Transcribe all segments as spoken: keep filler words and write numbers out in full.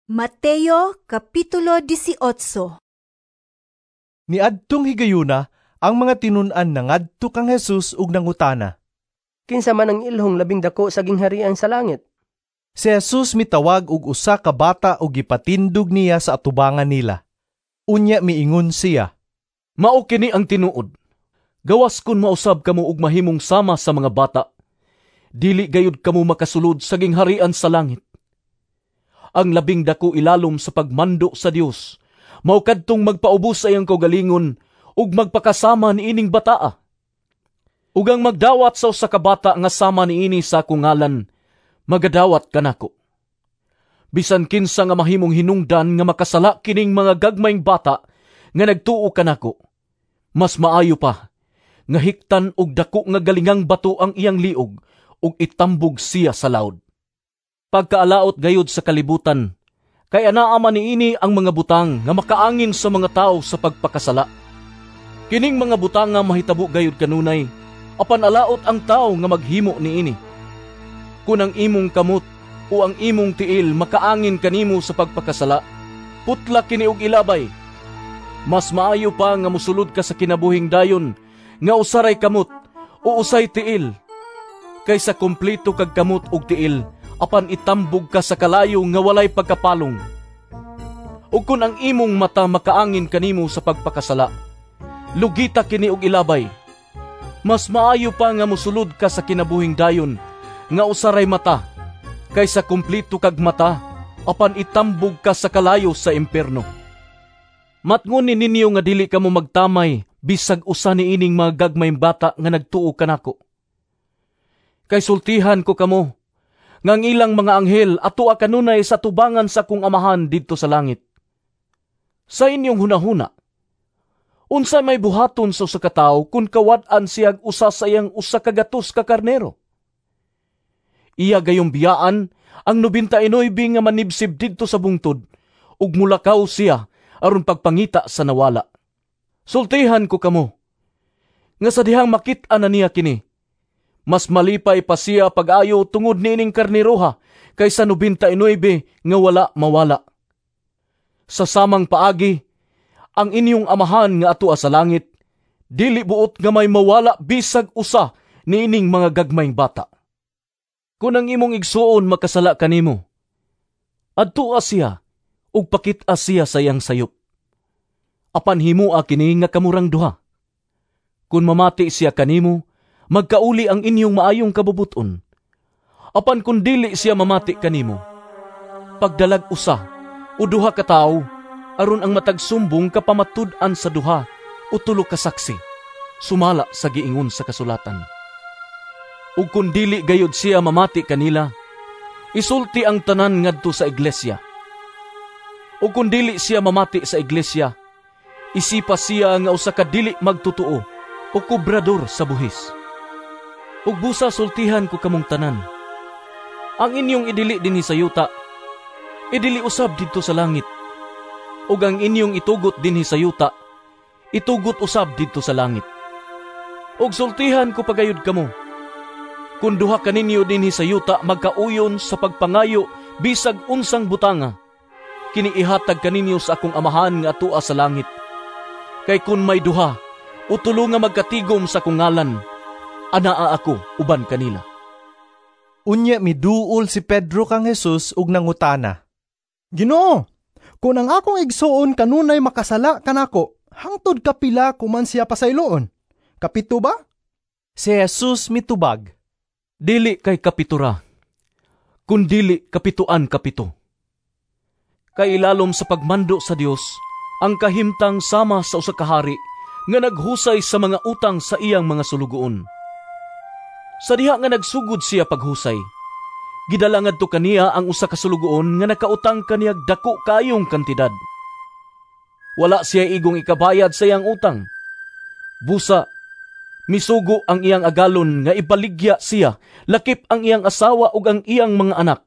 Mateo Kapitulo labing walo. Niadtong higayuna, ang mga tinun-an nangadto kang Jesus ug nangutana. Kinsa man ang ilhong labing dako sa gingharian sa langit? Si Jesus mitawag og usa ka bata ug gipatindog niya sa atubangan nila. Unya miingon siya, Mao kini ang tinuod. Gawas kun mausab kamo og mahimong sama sa mga bata, dili gayud kamo makasulod sa gingharian sa langit. Ang labing dako ilalom sa pagmando sa Dios mao kadtong magpaubos sa iyang kaugalingon ug magpakasama niining bataa. Ug ang magdawat sa usa ka bata nga sama niini sa akong ngalan, magadawat kanako. Bisan kinsa nga mahimong hinungdan nga makasala kining mga gagmayng bata nga nagtuo kanako, mas maayo pa nga hiktan og dako nga galingang bato ang iyang liog ug itambog siya sa lawd. Pagkaalaot gayud sa kalibutan, kay anaa man niini ang mga butang nga makaangin sa mga tawo sa pagpakasala. Kining mga butang nga mahitabo gayud kanunay, apan alaot ang tawo nga maghimo niini. Kun ang imong kamot o ang imong tiil makaangin kanimo sa pagpakasala, putla kini og ilabay. Mas maayo pa nga mosulod ka sa kinabuhing dayon nga usa ray kamot o usay tiil, kaysa kompleto kag kamot og tiil apan itambog ka sa kalayo nga walay pagkapalong. Ug kun ang imong mata makaangin kanimo sa pagpakasala, lugita kini og ilabay. Mas maayo pa nga mosulod ka sa kinabuhing dayon nga usa ray mata, kaysa kompleto kag mata apan itambog ka sa kalayo sa impierno. Matngon ni ninyo nga dili kamo magtamay bisag usa niining mga gagmayng bata nga nagtuo kanako. Kay sultihan ko kamo nga ang ilang mga anghel atua kanunay sa tubangan sa akong Amahan didto sa langit. Sa inyong hunahuna, unsa may buhaton sa usa ka tawo kun kawad-an siyag usa sa iyang usa ka gatos ka karnero? Iya gayong biyaan ang nobenta y nuebe nga manibsib didto sa bungtod ug mulakaw siya aron pagpangita sa nawala. Sultihan ko kamo nga sa dihang makit-an na niya kini, mas malipay pa siya pag-ayo tungod niining karneroha kaysa nobenta y nuebe nga wala mawala. Sa samang paagi, ang inyong Amahan nga atua sa langit, dili buot nga may mawala bisag usa niining mga gagmayng bata. Kun ang imong igsuon makasala kanimo, adtua siya ug pakit-a siya sa iyang sayop. Apan himoa kini nga kamurang duha. Kun mamati siya kanimo, magkauli ang inyong maayong kabubut-on. Apan kun dili siya mamati kanimo, pagdalag usa o duha ka tawo aron ang matag sumbong kapamatud-an sa duha o tulo ka saksi, sumala sa giingon sa kasulatan. Ug kun dili gayud siya mamati kanila, isulti ang tanan ngadto sa iglesia. Ug kun dili siya mamati sa iglesia, isipa siya nga usa ka dili magtotoo o kobrador sa buhis. Ug busa sultihan ko kamong tanan, ang inyong idili dinhi sa yuta, idili usab didto sa langit. Ug ang inyong itugot dinhi sa yuta, itugot usab didto sa langit. Ug sultihan ko pagayod kamo, kun duha kaninyo dinhi sa yuta magkauyon sa pagpangayo bisag unsang butanga, kini ihatag kaninyo sa akong Amahan nga atua sa langit. Kay kun may duha o tulo nga magkatigom sa akong ngalan, anaa ako uban kanila. Unya miduol si Pedro kang Jesus ug nangutana. Ginoo, kun ang akong igsuon kanunay makasala kanako, hangtod kapila ko man siya pasayloon? Kapito ba? Si Jesus mitubag. Dili kay kapitura, kun dili kapituan kapito. Kay ilalom sa pagmando sa Dios ang kahimtang sama sa usa ka hari nga naghusay sa mga utang sa iyang mga sulugoon. Sa diha nga nagsugod siya paghusay, gidala ngadto kaniya ang usa ka sulugoon nga nakautang kaniyag dako kayong kantidad. Wala siya igong ikabayad sa iyang utang. Busa, misugo ang iyang agalon nga ibaligya siya, lakip ang iyang asawa ug ang iyang mga anak,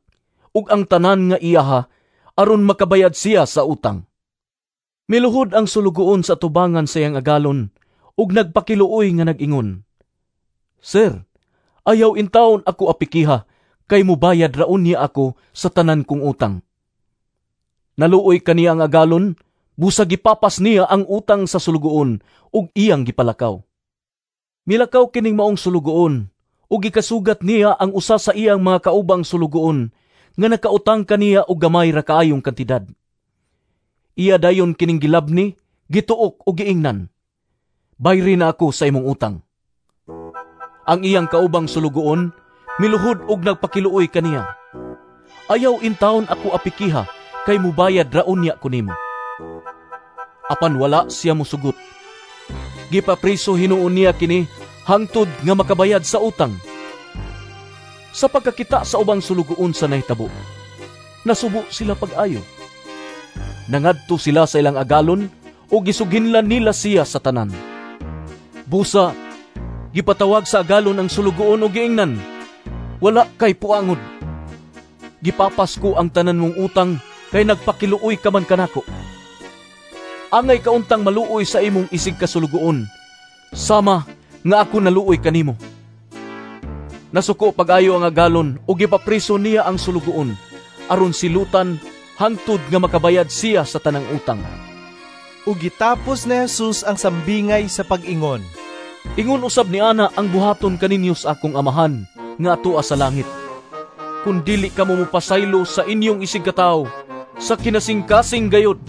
ug ang tanan nga iyaha, aron makabayad siya sa utang. Miluhod ang sulugoon sa tubangan sa iyang agalon, ug nagpakiluoy nga nag-ingon, Sir, ayaw intawon ako apikiha, kay mubayad ra unya ako sa tanan kong utang. Naluoy kaniya ang agalon, busa gipapas niya ang utang sa sulugoon ug iyang gipalakaw. Milakaw kining maong sulugoon ug gikasugat niya ang usa sa iyang mga kaubang sulugoon nga nakautang kaniya og gamay ra kaayong kantidad. Iya dayon kining gilabni, gituok ug giingnan, "Bayri na ako sa imong utang." Ang iyang kaubang sulugoon miluhod og nagpakiluoy kaniya. "Ayaw intawon ako apikiha, kay mubayad ra unya ko nimo." Apan wala siya mosugot. Gipapriso hinuon niya kini hangtod nga makabayad sa utang. Sa pagkakita sa ubang sulugoon sa nahitabo, nasubo sila pag-ayo. Nangadto sila sa ilang agalon ug gisuginlan nila siya sa tanan. Busa, gipatawag sa agalon ang sulugoon ug giingnan, "Wala kay puangod. Gipapas ko ang tanan mong utang kay nagpakiluoy ka man kanako. Angay ka untang maluoy sa imong isig kasulugoon, sama nga ako naluoy kanimo." Nasuko pag-ayo ang agalon ug gipapriso niya ang sulugoon aron silutan hangtod nga makabayad siya sa tanang utang. Ug gitapos ni Jesus ang sambingay sa pag-ingon, "Ingon usab ni ana ang buhaton kaninyo sa akong Amahan nga atoa sa langit, kun dili kamo mopasaylo sa inyong isigkatawo sa kinasingkasing gayod."